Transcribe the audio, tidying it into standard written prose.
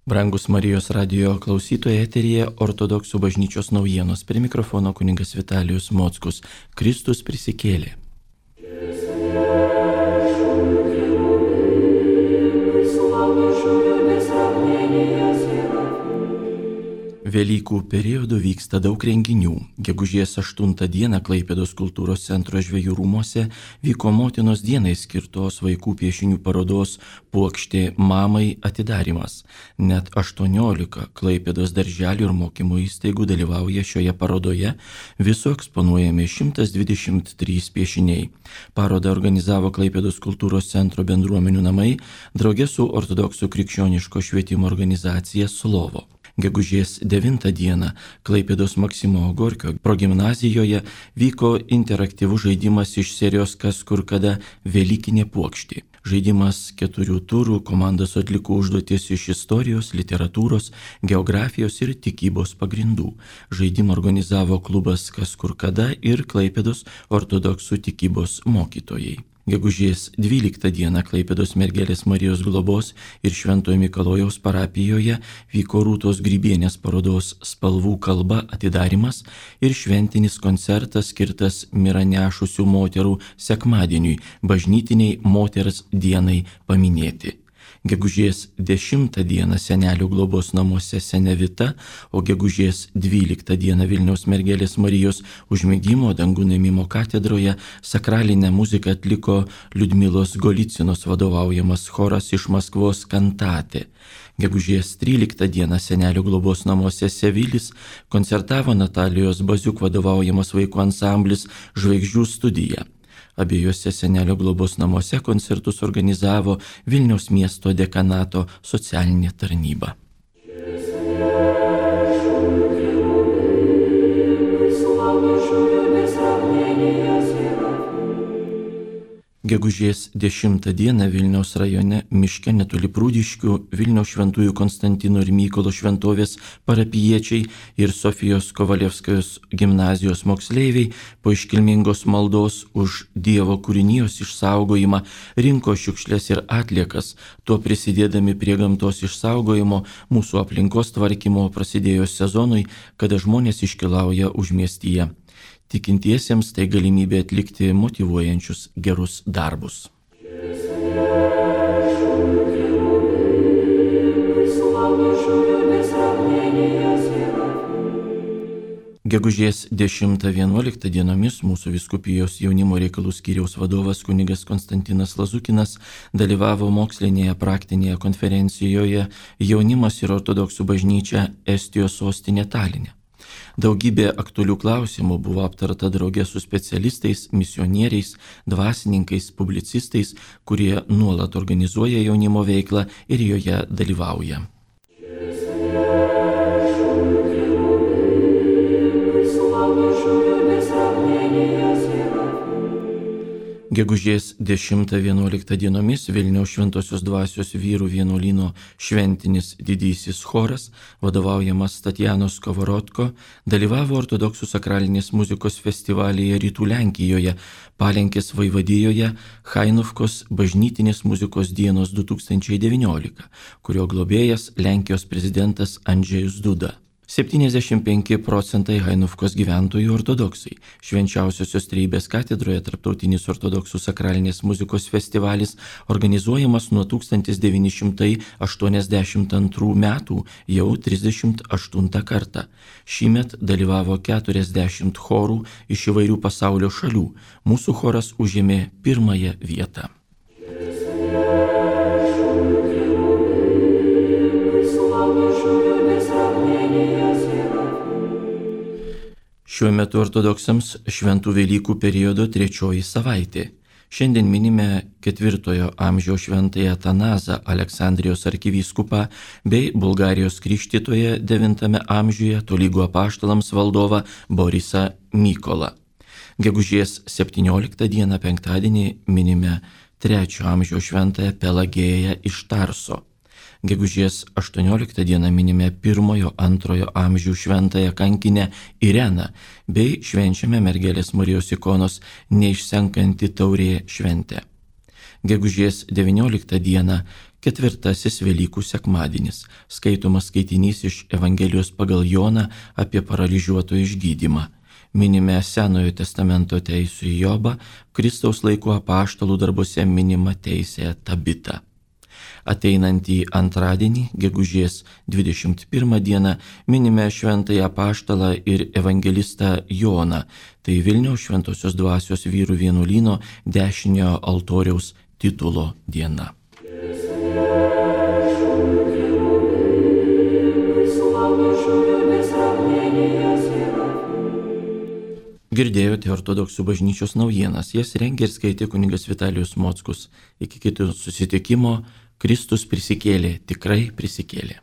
Brangus Marijos radijo klausytojai, eteryje Ortodoksų bažnyčios naujienos. Prie mikrofono kunigas Vitalijus Mockus. Kristus prisikėlė. Velykų periodu vyksta daug renginių. Gegužės 8 dieną Klaipėdos kultūros centro Žvejų rūmuose vyko motinos dienai skirtos vaikų piešinių parodos Puokštė mamai atidarymas. Net 18 Klaipėdos darželių ir mokymo įstaigų dalyvauja šioje parodoje, viso eksponuojami 123 piešiniai. Parodą organizavo Klaipėdos kultūros centro bendruomenių namai drauge su ortodoksų krikščioniško švietimo organizacija Slovo. Gegužės 9 dieną Klaipėdos Maksimo Gorkio progimnazijoje vyko interaktyvus žaidimas iš serijos Kas kur kada Velykinė puokštė. Žaidimas 4 turų, komandos atliko užduotis iš istorijos, literatūros, geografijos ir tikybos pagrindų. Žaidimą organizavo klubas Kas kur kada ir Klaipėdos ortodoksų tikybos mokytojai. Gegužės 12 dieną Klaipėdos Mergelės Marijos globos ir Šventojo Mikalojaus parapijoje vyko Rūtos Grybienės parodos Spalvų kalba atidarymas ir šventinis koncertas skirtas mirą nešusių moterų sekmadieniui, bažnytiniai moters dienai paminėti. Gegužės 10 dieną Senelių globos namuose Senevita, o gegužės 12 dieną Vilniaus Mergelės Marijos užmigimo dangų nuėmimo katedroje sakralinę muziką atliko Liudmilos Golicinos vadovaujamas choras iš Maskvos Kantate. Gegužės 13 dieną Senelių globos namuose Sevilis koncertavo Natalijos Baziuk vadovaujamas vaikų ansamblis Žvaigždžių studija. Abiejose Senelio globos namuose koncertus organizavo Vilniaus miesto dekanato socialinė tarnyba. Gegužės 10 dieną Vilniaus rajone miške netoli Prūdiškių Vilniaus Šventųjų Konstantino ir Mykolo šventovės parapijiečiai ir Sofijos Kovalevskajos gimnazijos moksleiviai po iškilmingos maldos už Dievo kūrinijos išsaugojimą rinko šiukšles ir atliekas, tuo prisidėdami prie gamtos išsaugojimo, mūsų aplinkos tvarkymo prasidėjus sezonui, kada žmonės iškeliauja užmiestyje. Tikintiesiems tai galimybė atlikti motyvuojančius gerus darbus. Gegužės 10-11 dienomis mūsų vyskupijos jaunimo reikalų skyriaus vadovas kunigas Konstantinas Lazukinas dalyvavo mokslinėje praktinėje konferencijoje Jaunimas ir ortodoksų bažnyčia Estijos sostinė Taline. Daugybė aktualių klausimų buvo aptarta drauge su specialistais, misionieriais, dvasininkais, publicistais, kurie nuolat organizuoja jaunimo veiklą ir joje dalyvauja. Gegužės 10-11 dienomis Vilniaus Šventosios dvasios vyrų vienuolyno šventinis didysis choras, vadovaujamas Tatjanos Kovorotko, dalyvavo ortodoksų sakralinės muzikos festivalyje Rytų Lenkijoje, Palenkės vaivadijoje Hainovkos bažnytinės muzikos dienos 2019, kurio globėjas Lenkijos prezidentas Andžejus Duda. 75% Hainovkos gyventojų ortodoksai. Švenčiausiosios Trejybės katedroje tarptautinis ortodoksų sakralinės muzikos festivalis organizuojamas nuo 1982 metų jau 38 kartą. Šįmet dalyvavo 40 chorų iš įvairių pasaulio šalių. Mūsų choras užėmė pirmąją vietą. Šiuo metu ortodoksams šventų Velykų periodo 3 savaitė. Šiandien minime 4 amžiaus šventąją Atanazą, Aleksandrijos arkivyskupą, bei Bulgarijos krikštytoją 9 amžiuje tolygų apaštalams valdovą Borisą Mykolą. Gegužės 17 dieną penktadienį minime 3 amžiaus šventąją Pelagėją iš Tarso. Gegužės 18 dieną minime 1-2 amžių šventąją kankinę Ireną bei švenčiame Mergelės Marijos ikonos Neišsenkanti taurė šventę. Gegužės 19 dieną Ketvirtasis Velykų sekmadienis. Skaitomas skaitinys iš Evangelijos pagal Joną apie paralyžiuoto išgydymą. Minime Senojo testamento teisų į Jobą, Kristaus laikų apaštalų darbuose minima teisė Tabita. Ateinantį antradienį, gegužės 21 dieną, minime šventąjį apaštalą ir evangelistą Joną. Tai Vilniaus Šventosios Dvasios vyrų vienuolyno dešiniojo altoriaus titulo diena. Girdėjote Ortodoksų bažnyčios naujienas, jas rengė ir skaitė kunigas Vitalijus Mockus. Iki kitų susitikimo, Kristus prisikėlė, tikrai prisikėlė.